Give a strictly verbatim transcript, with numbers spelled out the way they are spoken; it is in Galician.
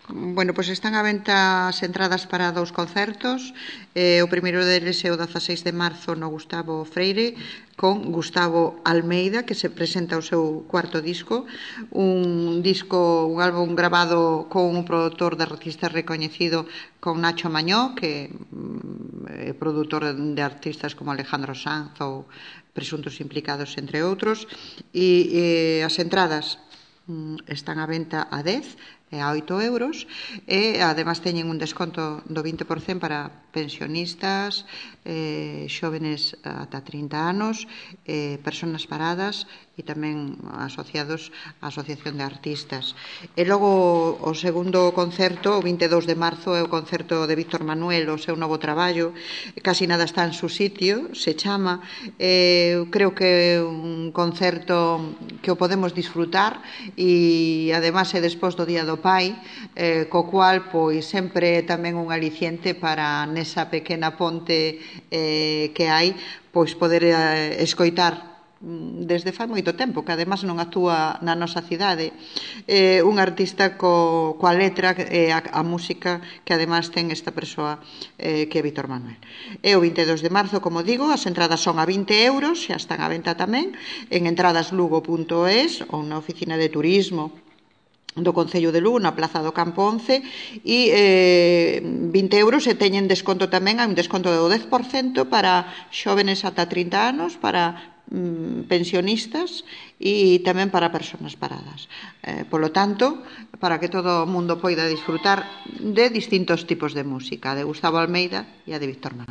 Bueno, pois están á venta as entradas para dous concertos. eh, O primeiro deles é o dezaseis de marzo no Gustavo Freire, con Gustavo Almeida, que se presenta o seu cuarto disco, un disco, un álbum grabado con un produtor de artistas recoñecido, con Nacho Mañó, que é produtor de artistas como Alejandro Sanz ou presuntos implicados, entre outros. E, e as entradas están á venta a dez e a oito euros, e además teñen un desconto do vinte por cento para pensionistas, eh, xóvenes ata trinta anos, eh, personas paradas e tamén asociados á Asociación de Artistas. E logo o segundo concerto, o vinte e dous de marzo, é o concerto de Víctor Manuel, o seu novo traballo, Casi nada está en su sitio, se chama. eh, creo que é un concerto que o podemos disfrutar, e además é despois do Día do Pai, eh, co cual pois sempre é tamén un aliciente para nesa pequena ponte eh, que hai, pois poder eh, escoitar desde fai moito tempo, que además non actúa na nosa cidade, eh, un artista co, coa letra e a, a música que además ten esta persoa eh, que é Víctor Manuel. É o vinte e dous de marzo, como digo, as entradas son a vinte euros, xa están á venta tamén en entradaslugo punto es ou na oficina de turismo do Concello de Lugo, na Plaza do Campo once, e eh, vinte euros, e teñen desconto tamén, hai un desconto do dez por cento para xóvenes ata trinta anos, para mm, pensionistas e tamén para persoas paradas. Eh, polo tanto, para que todo o mundo poida disfrutar de distintos tipos de música, de Gustavo Almeida e a de Víctor Manuel.